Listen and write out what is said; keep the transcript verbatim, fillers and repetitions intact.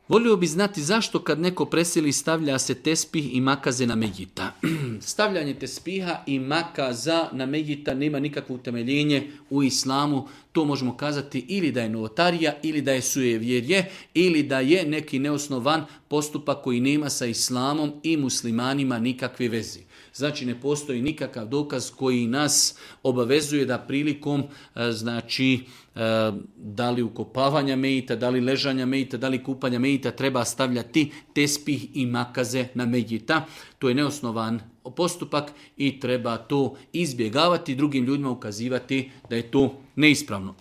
Volio bi znati zašto kad neko preseli stavlja se tespih i makaze na Mejita. Stavljanje tespiha i makaza na Mejita nema nikakvo utemeljenje u islamu. To možemo kazati ili da je novotarija, ili da je sujevjerje, ili da je neki neosnovan postupak koji nema sa islamom i muslimanima nikakve veze. Znači ne postoji nikakav dokaz koji nas obavezuje da prilikom znači da li ukopavanja Mejita, da li ležanja Mejita, da li kupanja Mejita treba stavljati tespih i makaze na Mejita. To je neosnovan postupak i treba to izbjegavati, drugim ljudima ukazivati da je to neispravno.